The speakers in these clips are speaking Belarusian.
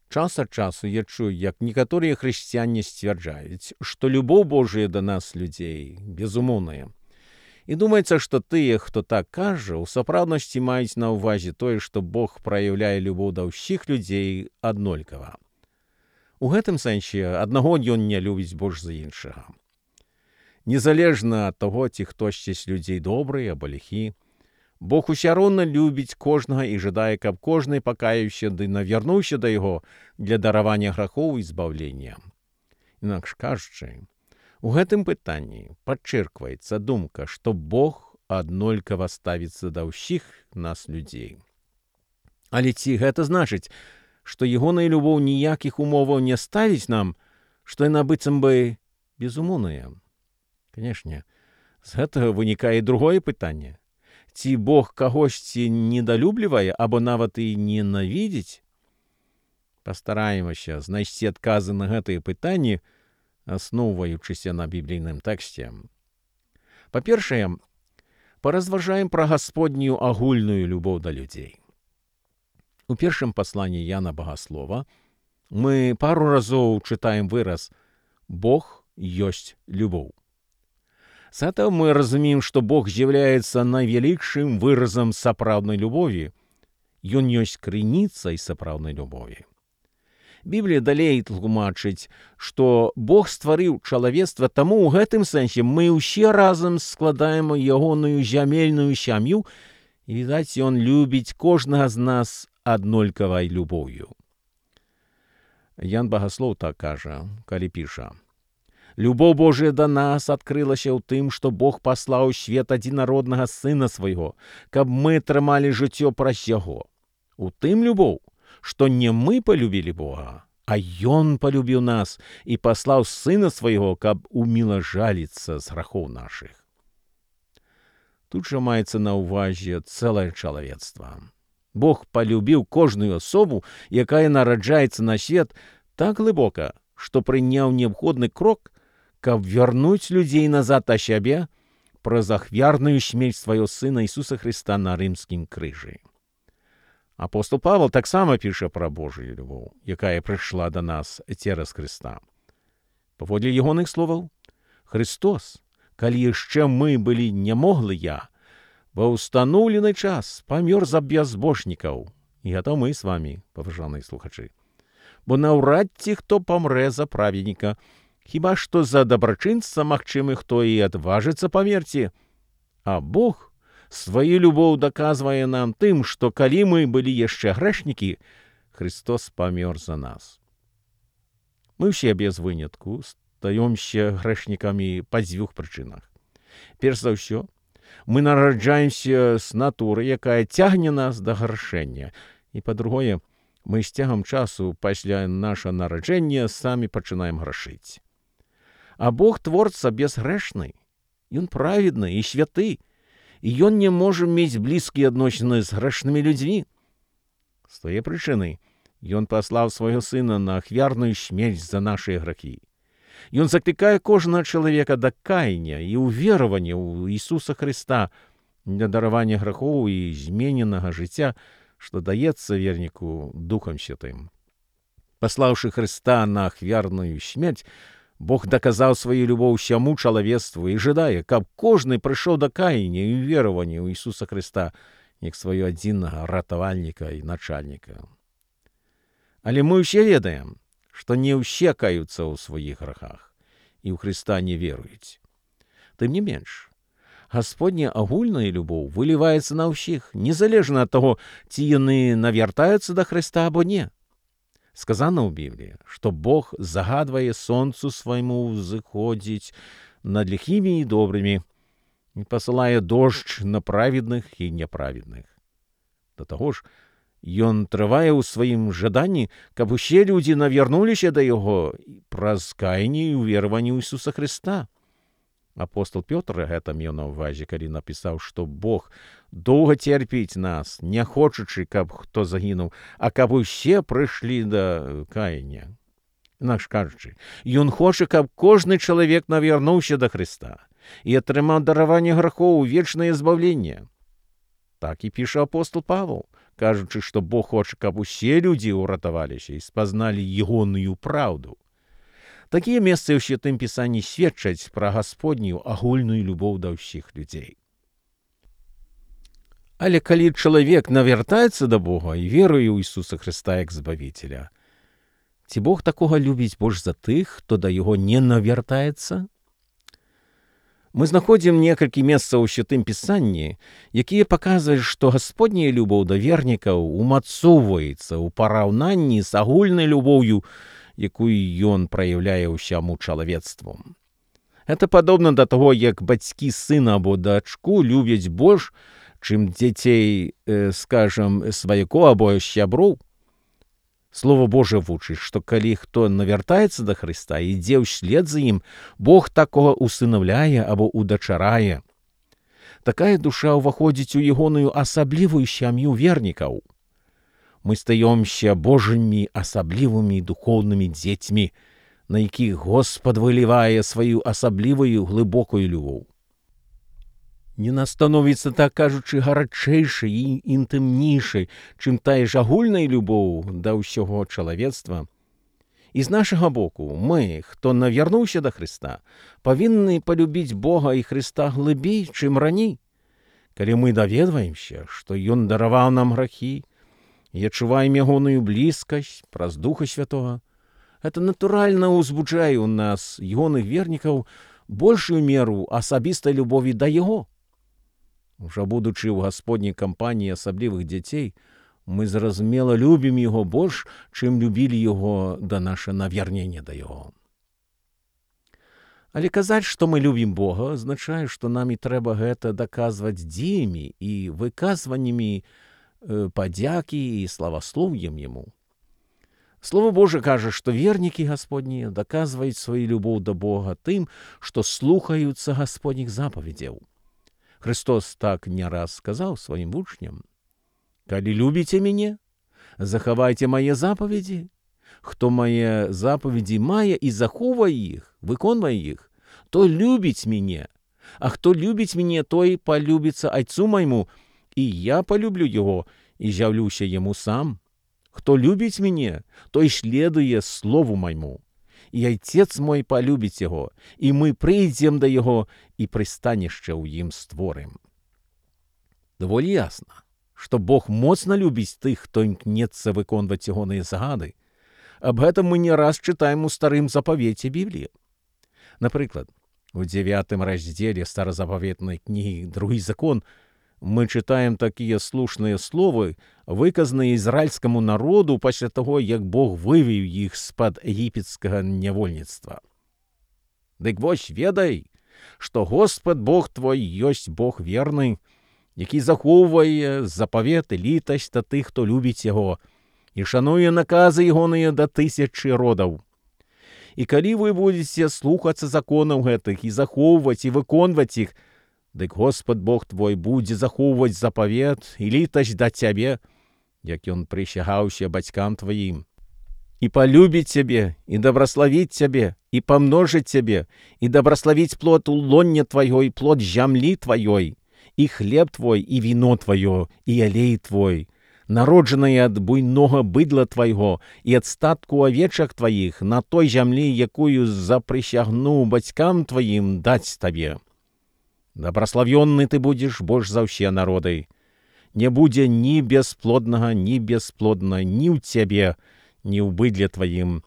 Час ад часу я чую, як некаторыя хрысціяне сцвярджаюць, што любоў Божая да нас, людзей, безумоўная. І думаецца, што тыя, хто так кажа, у сапраўднасці маюць на ўвазе тое, што Бог праяўляе любоў да ўсіх людзей аднолькава. У гэтым сэнсе аднаго ён не любіць больш за іншага. Незалежна ад таго, ці хтосьці з людзей добры або ліхі, Бог усё роўна любіць кожнага і жадае, каб кожны пакаяўся ды навярнуўся да яго для даравання грахоў і збаўлення. Інакш кажучы, у гэтым пытанні падчэркваецца думка, што Бог аднолькава ставіцца да ўсіх нас людзей. Але ці гэта значыць, што ягоная любоў ніякіх умоваў не ставіць нам, што яна быццам бы безумоўная? Канешне, з гэтага вынікае другое пытанне. Ці Бог кагосьці недалюблівае або нават і ненавідзіць? Пастараемся знайсці адказы на гэтыя пытанні, асноўваючыся на біблійным тэксце. Па-першае, паразважаем пра Гасподнюю агульную любоў да людзей. У першым пасланні Яна Багаслова мы пару разоў чытаем выраз «Бог ёсць любоў». З этого мы разумеем, што Бог з'яўляецца найвялікшым выразам сапраўднай любові. Ён ёсць крыніцай сапраўднай любові. Біблія далей тлумачыць, што Бог стварыў чалавецтва, таму ў гэтым сэнсе мы ўсе разам складаем ягоную зямельную сям'ю, і, відаць, ён любіць кожнага з нас аднолькавай любоўю. Ян Багаслоў так кажа, калі піша: «Любоў Божая да нас адкрылася ў тым, што Бог паслаў у свет адзінароднага Сына свайго, каб мы атрымалі жыццё праз яго. У тым любоў, што не мы палюбілі Бога, а Ён палюбіў нас і паслаў Сына свайго, каб умілажаліцца з грахоў нашых». Тут жа маецца на ўвазе цэлае чалавецтва. Бог палюбіў кожную асобу, якая нараджаецца на свет, так глыбока, што прыняў неабходны крок, каб вярнуць людзей назад да сябе праз ахвярную смерць свайго Сына Ісуса Хрыста на рымскім крыжы. Апостол Павел таксама піша пра Божую любоў, якая прыйшла да нас цераз Хрыста. Паводле ягоных словаў, Христос, калі яшчэ мы былі нямоглыя, ва ўстаноўлены час памёр за бязбожнікаў. І гэта мы з вамі, паважаныя слухачы. Бо наўрад ці хто памрэ за праведніка, хіба што за дабрачынца магчымы хто і адважыцца памерці. А Бог сваю любоў даказвае нам тым, што калі мы былі яшчэ грэшнікі, Христос памёр за нас. Мы ўсе без вынятку стаёмся грэшнікамі па дзвюх прычынах. Перш за ўсё, мы нараджаемся з натуры, якая цягне нас да грашэння. І па-другое, мы з цягам часу пасля наша нараджэння самі пачынаем грашыць. А Бог творца безгрэшны, ён праведны і святы, і ён не можа мець блізкія адносіны з грэшнымі людзьмі. З тае прычыны ён паслаў свайго Сына на ахвярную смерць за нашыя грахі. Ён заклікае кожнага чалавека да каяння і ўверавання ў Ісуса Хрыста для даравання грахоў і змененага жыцця, што даецца верніку Духам Святым. Паслаўшы Хрыста на ахвярную смерць, Бог даказаў сваю любоў усяму чалавецтву і жадае, каб кожны прыйшоў да каяння і веравання ў Ісуса Хрыста як свайго адзінага ратавальніка і начальніка. Але мы ўсе ведаем, што не ўсе каюцца ў сваіх грахах і ў Хрыста не веруюць. Тым не менш, Гасподня агульная любоў выліваецца на ўсіх, незалежна ад таго, ці яны навяртаюцца да Хрыста або не. Сказано ў Бібліі, што Бог загадвае сонцу свайму ўзыходзіць над ліхімі і добрымі і пасылае дождж на праведных і няправедных. Да таго ж, ён трывае ў сваім жаданні, каб усе людзі навярнуліся да яго праз каянне і ўвераванне ў Ісуса Хрыста. Апостол Пётр гэта меў на ўвазе, калі напісаў, што Бог доўга церпіць нас, не хочучы, каб хто загінуў, а каб усе прыйшлі да каяння. Інакш кажучы, ён хоча, каб кожны чалавек навярнуўся да Хрыста і атрымаў дараванне грахоў у вечнае збаўленне. Так і піша апостол Павел, кажучы, што Бог хоча, каб усе людзі ўратаваліся і спазналі ягоную праўду. Такія месцы ў Святым Пісанні сведчаць пра Гасподнюю агульную любоў да ўсіх людзей. Але калі чалавек навяртаецца да Бога і веруе ў Ісуса Хрыста як Збавіцеля, ці Бог такога любіць больш за тых, хто да яго не навяртаецца? Мы знаходзім некалькі месцаў у Святым Пісанні, якія паказваюць, што Гасподняя любоў да вернікаў умацоўваецца ў параўнанні з агульнай любоўю, якую ён праяўляе ўсяму чалавецтву. Гэта падобна да таго, як бацькі сына або дачку любяць больш, чым дзяцей, сваякоў або сяброў. Слова Божае вучыць, што калі хто навяртаецца да Хрыста і ідзе ўслед за ім, Бог такога усынаўляе або удачарае. Такая душа ўваходзіць у ягоную асаблівую сям'ю вернікаў. Мы стаёмся Божымі асаблівымі духоўнымі дзецьмі, на якіх Господ вылівае сваю асаблівую глыбокую любоў. Яна становіцца, так кажучы, гарачэйшай і інтымнейшай, чым тая ж агульная любоў да ўсяго чалавецтва. І з нашага боку, мы, хто навярнуўся да Хрыста, павінны палюбіць Бога і Хрыста глыбей, чым раней. Калі мы даведваемся, што Ён дараваў нам грахі, і адчуваем ягоную блізкасць праз Духа Святога, гэта натуральна ўзбуджае ў нас, ягоных вернікаў, большую меру асабістай любові да Яго. Ужо будучы ў Гасподняй кампаніі асаблівых дзяцей, мы зразумела любім Яго больш, чым любілі Яго да наша навярнення да Яго. Але казаць, што мы любім Бога, азначае, што нам і трэба гэта даказваць дзеямі і выказваннямі падзякі і славаслоўем Яму. Слова Божа кажа, што вернікі Гасподнія даказваюць сваю любоў да Бога тым, што слухаюцца Гасподніх запаведзяў. Христос так не раз сказаў сваім вучням: «Калі любіце мяне, захавайце мае запаведзі. Хто мае запаведзі мае і захоўвае іх, выконвае іх, той любіць мяне. А хто любіць мяне, той палюбіцца Айцу майму, і я палюблю яго і з'яўлюся яму сам. Хто любіць мяне, той следуе слову майму. І Айцец мой палюбіць яго, і мы прыйдзем да яго і прыстанішча ў ім створым». Даволі ясна, што Бог моцна любіць тых, хто імкнецца выконваць ягоныя загады. Аб гэтым мы не раз чытаем у Старым запавеце Бібліі. Напрыклад, у 9 раздзеле старазапаветнай кнігі «Другі закон» мы чытаем такія слушныя словы, выказаныя ізраільскаму народу пасля таго, як Бог вывеў іх з-пад егіпецкага нявольніцтва. «Дык вось ведай, што Господ Бог твой ёсць Бог верны, які захоўвае запавет і літасць да тых, хто любіць яго, і шануе наказы ягоныя да 1000 родаў. І калі вы будзеце слухацца законаў гэтых і захоўваць і выконваць іх, дык Господ Бог твой будзе захоўваць запавет і літасць да цябе, як ён прысягаўся бацькам тваім, і палюбіць цябе, і дабраславіць цябе, і памножыць цябе, і дабраславіць плод у лонне тваё, і плод зямлі тваёй, і хлеб твой, і віно тваё, і алей твой, народжанае ад буйнога быдла твайго і ад статку авечак тваіх на той зямлі, якую запрысягнуў бацькам тваім даць табе. Дабраславённы ты будзеш больш за ўсе народы. Не будзе ні бясплоднага, ні бясплодна ні ў цябе, ні ў быдле тваім.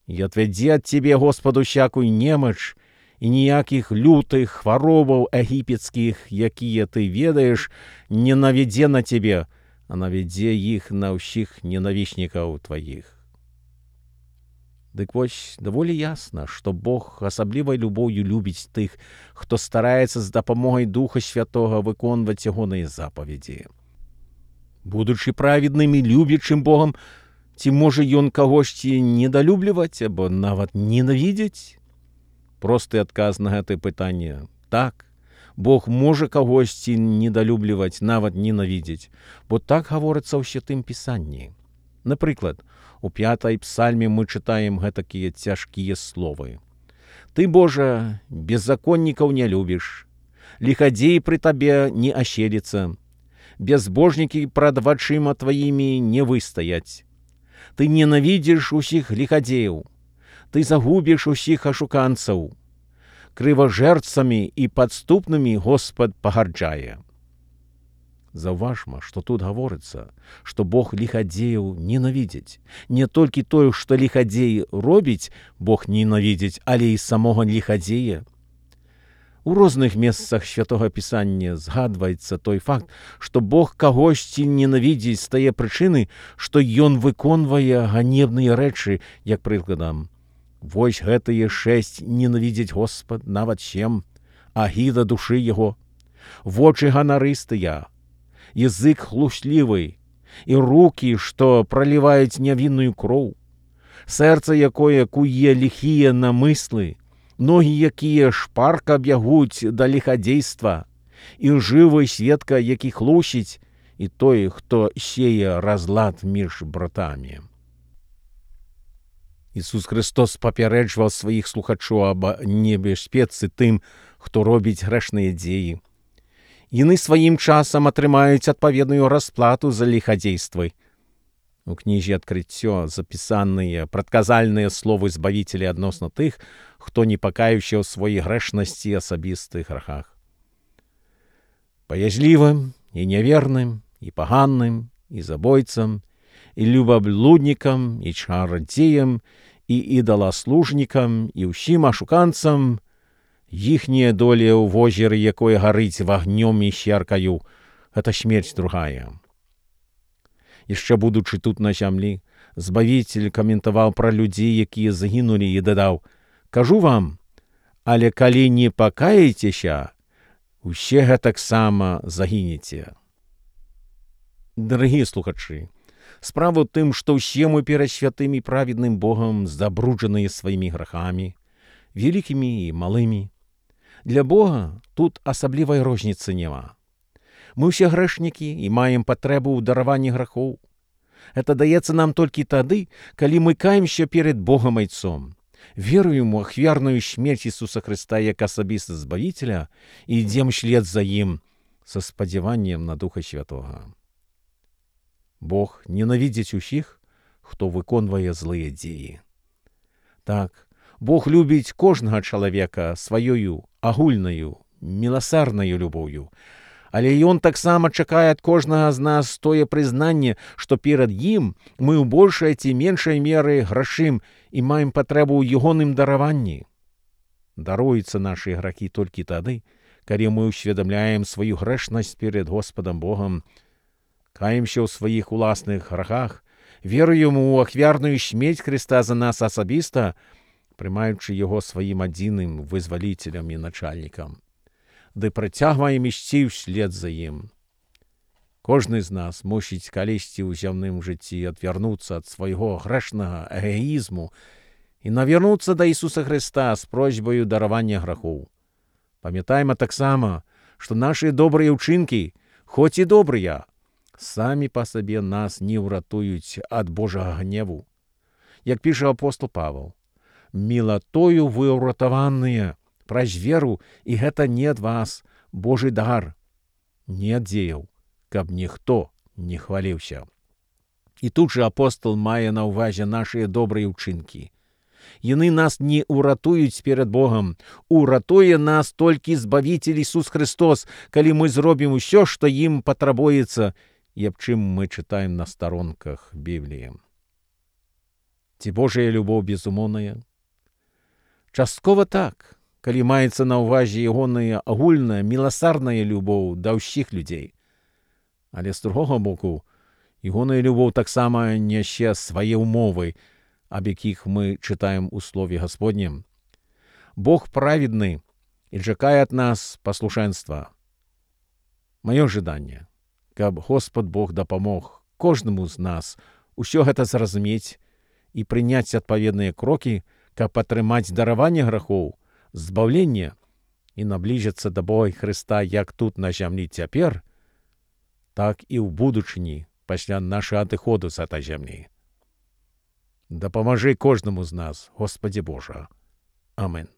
І адвядзе ад цябе Господ усякую немач, і ніякіх лютых хваробаў егіпецкіх, якія ты ведаеш, не навядзе на цябе, а навядзе іх на ўсіх ненавіснікаў тваіх». Дык вось, даволі ясна, што Бог асаблівай любоўю любіць тых, хто стараецца з дапамогай Духа Святога выконваць ягоныя запаведзі. Будучы праведным і любячым Богам, ці можа ён кагосьці недалюбліваць або нават ненавідзець? Просты адказ на гэтае пытанне – так. Бог можа кагосьці недалюбліваць, нават ненавідзець, бо так гаворыцца ў Святым Пісанні. Напрыклад, у 5 псальме мы чытаем гэтакія цяжкія словы. «Ты, Божа, беззаконнікаў не любіш, лихадзей пры табе не аселіцца, безбожники пред вачыма твоімі не выстаяць. Ты ненавідзіш усіх ліхадзеяў, ты загубіш усіх ашуканцаў. Крыважэрцамі і падступнымі Господ пагарджае. Заўважма, што тут гаворыцца, што Бог ліхадзеяў ненавідзіць. Не толькі тое, што ліхадзей робіць, Бог ненавідзіць, але і самога ліхадзея. У розных месцах Святога Пісання згадваецца той факт, што Бог кагосьці ненавідзіць з тае прычыны, што ён выконвае ганебныя рэчы, як прыкладам. Вось гэтыя 6 ненавідзіць Господ, нават 7, агіда душы яго, вочы ганарыстыя, язык хлуслівы, і рукі, што праліваюць нявінную кроў, сэрца, якое куе ліхія намыслы, ногі, якія шпарка бягуць да ліхадзейства, і жывы сведка, які хлусіць, і той, хто сее разлад між братамі. Ісус Христос папярэджваў сваіх слухачоў аб небяспецы тым, хто робіць грэшныя дзеі. Яны сваім часам атрымаюць адпаведную расплату за ліхадзействы. У кнізе «Адкрыццё» запісаныя прадказальныя словы Збавіцеля адносна тых, хто не пакаяўся ў сваёй грэшнасці і асабістых грахах. Баязлівым і няверным, і паганным, і забойцам, і любаблуднікам, і чарадзеям, і ідаласлужнікам, і ўсім ашуканцам, іхняя доля ў возеры, якое гарыць вагнём і сяркаю, гэта смерць другая. Яшчэ будучы тут на зямлі, Збавіцель каментаваў пра людзей, якія загінулі, і дадаў: «Кажу вам, але калі не пакаецеся, усе гэтаксама загінеце». Дарагія слухачы, справа ў тым, што ўсе мы перад святым і праведным Богам забруджаныя сваімі грахамі, вялікімі і малымі. Для Бога тут асаблівай розніцы няма. Мы ўсе грэшнікі і маем патрэбу ў дараванні грахоў. Гэта даецца нам толькі тады, калі мы каемся перед Богам Айцом, веруем у ахвярную смерць Ісуса Хрыста як асабіста Збавіцеля і ідзем шлед за ім са спадзяваннем на Духа Святога. Бог ненавідзіць усіх, хто выконвае злыя дзеі. Так, Бог любіць кожнага чалавека сваёю агульнаю, міласарнаю любоўю, але ён таксама чакае ад кожнага з нас тое прызнанне, што перад ім мы ў большай ці меншай меры грашым і маем патрэбу ў ягоным дараванні. Даруюцца нашы грахі толькі тады, калі мы ўсведамляем сваю грэшнасць перед Господам Богам, каемся ў сваіх уласных грахах, веруем у ахвярную смерць Хрыста за нас асабіста, прымаючы яго сваім адзіным вызваліцелем і начальнікам, ды працягваем ісці ўслед за ім. Кожны з нас мусіць калісьці ў зямным жыцці адвярнуцца ад свайго грэшнага эгоізму і навярнуцца да Ісуса Хрыста з просьбаю даравання грахоў. Памятайма таксама, што нашы добрыя ўчынкі, хоць і добрыя, самі па сабе нас не ўратуюць ад Божага гневу. Як піша апостол Павел: «Мілатою вы ўратаваныя праз веру, і гэта не ад вас, Божы дар, не ад дзеяў, каб ніхто не хваліўся». І тут жа апостол мае на ўвазе нашыя добрыя ўчынкі. Яны нас не ўратуюць перад Богам, уратуе нас толькі Збавіцель Ісус Христос, калі мы зробім усё, што ім патрабуецца, і аб чым мы чытаем на старонках Бібліі. Ці Божая любоў безумоўная? Часткова так, калі маецца на ўвазе ягоная агульная міласарная любоў да ўсіх людзей. Але з другога боку, ягоная любоў таксама нясе свае ўмовы, аб якіх мы чытаем у Слове Гасподнім. Бог праведны і чакае ад нас паслушэнства. Маё жаданне, каб Господ Бог дапамог кожнаму з нас усё гэта зразумець і прыняць адпаведныя крокі, каб атрымаць дараванне грахоў, збаўленне і набліжыцца да Бога Хрыста як тут на зямлі цяпер, так і ў будучыні пасля нашага адыходу з гэтай зямлі. Дапамажы кожнаму з нас, Господи Божа. Амин.